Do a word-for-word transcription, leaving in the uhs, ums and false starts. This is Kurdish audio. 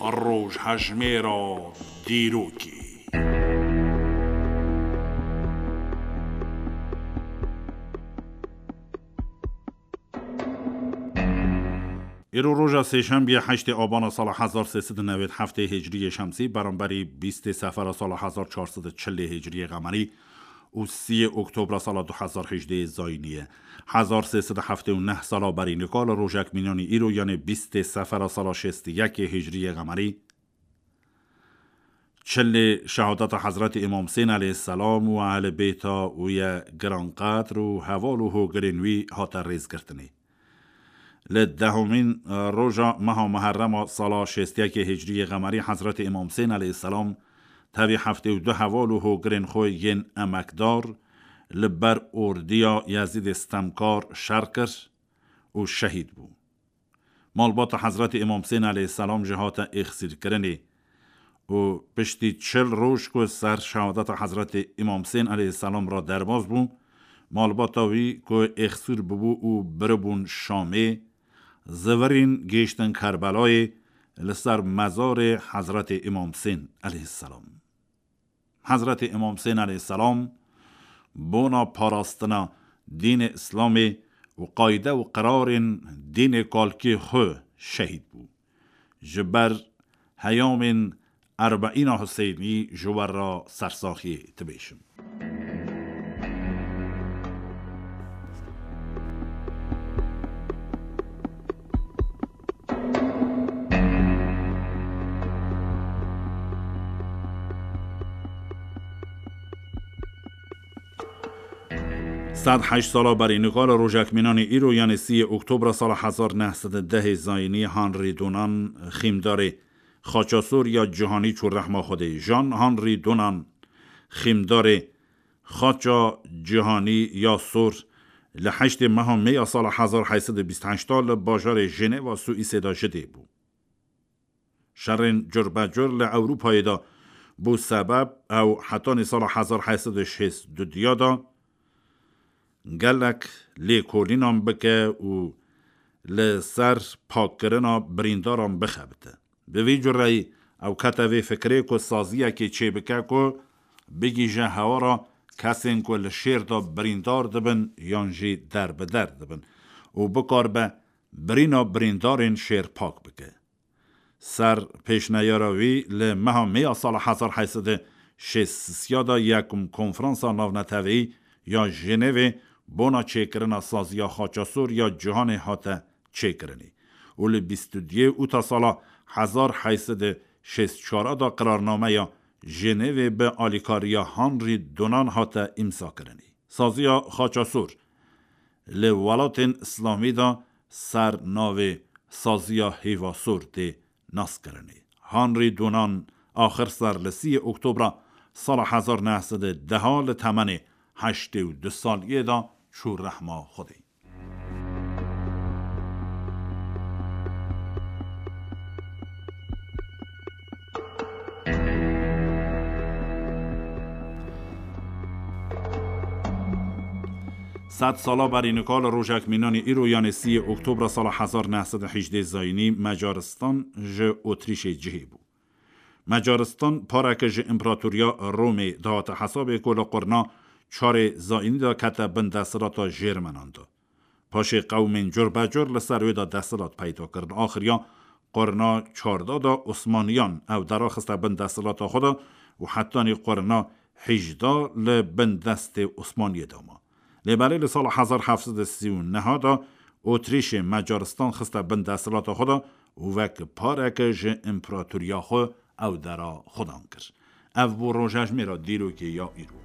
Rojhejmêra dîrokê. Îro roja sêşembiye heştê Abana sala hezar sê sed û newêd heftê Hicriyê Şemsî, beramberî bîstê Sefera sala hezar çar sed û çilê Hicriyê Qemerî û siyê Oktobra sala du hezar hejdê Zayînî ye. Hezar sê sed û heftê û neh sala berî nika li rojek mînanî îro, yanê bîstê Sefera sala şêst û yekê Hicriyê Qemerî, çilê şehadeta Hezretî Îmam Husên aleyhisselam û ehlê bêta wî ye giranqedr û heval û hogirên wî hate rêzgirtinê. Li dehemîn roja meha Muherrema sala şêst û yekê Hicriyê Qemerî Hezretî Îmam Husên aleyhisselam tevî heftê û du heval û hogirên xwe yên emekdar li ber ordiya Yezîdê stemkar şer kir û şehîd bû. Malbata Hezretî Îmam Husên aleyhisselam jî hate êxsîrkirinê û piştî çil roj ku ser şehadeta Hezretî Îmam Husên aleyhisselam re derbas bû, malbata wî ku êxsîr bûbû û biribûn Şamê, zivirîn gihîştin Kerbelayê li ser mezarê Hezretî Îmam Husên aleyhisselam. Hezretî Îmam Husên aleyhisselam bona parastina dînê Îslamê û qayde û qirarên dînê kalkê xwe şehîd bû. Ji ber heyamên Erbeîna Huseynî ji we re sersaxiyê dibêjim. Sed heşt sala berî nika li rojek mînanî îro, yanê siyê Oktobra sala hezar neh sed û dehê Zayînî, Henri Dunant, xîmdarê Xaça Sor ya Cîhanî çû rehma Xwedê. Jean Henri Dunant, xîmdarê Xaça Cîhanî ya Sor, li heştê meha Mê ya sala hezar heyt sed û bîst heşt a li bajarê Jeneva Swîsê de ji dê bû. Şerên curbecur li Ewropayê de bû sebeb ew hetanî sala hezar heyt sed û şêst û duya de gelek lêkolînan bike û li ser pakkirina birîndaran bixebite. Bi vî cureyî ew kete vê fikirê ku saziyekê çêbike ku bigihîje hewara kesên ku li şêr de birîndar dibin yan jî derbider dibin û bikaribe birîna birîndarên şêr pak bike. Ser pêşneyara wî li meha Mê ya sala hezar heyt sed û şêst û sê de yekum konferansa navneteweyî ya Jenevê bona çêkirina saziya Xaça Sor ya Cîhanê hate çêkirinê û li bîst û duyê ûta sala hezar heyt sed û şêst û çar de qirarnameya Jenevê bi alîkariya Henri Dunant hate îmzakirinê. Saziya Xaça Sor li welatên Îslamî de ser navê Saziya Hêva Sor tê naskirinê. Henri Dunant axir ser li siyê Oktobra sala hezar neh sed û deh li temenê heştê û du saliyê de çû rehma Xwedê. Sed sala berî nika li rojek mînanî îro, yanê siyê Oktobra sala hezar neh sed û hejdê Zayînî, Macaristan ji Otrîşê cihê bû. Macaristan pareke ji împeratoriya Romê dihate hesabê ku li qurna çarê Zayînî de kete bin desthilata Jêrmenan de. Paşê qewmên curbecur li ser wê de desthilat peyda kirin. Axiriya qurna çardeh de Osmaniyan ew dera xiste bin desthilata xwe de û hetanî qurna hejdeh li bin destê Osmaniyê de ma. Lê belê li sala hezar heft sed û sî û neh de Otrîşê Macaristan xiste bin desthilata xwe de û wek pareke ji împeratoriya xwe ew dera xudan kir. Ev bû rojejmêra dîrokê ya îro.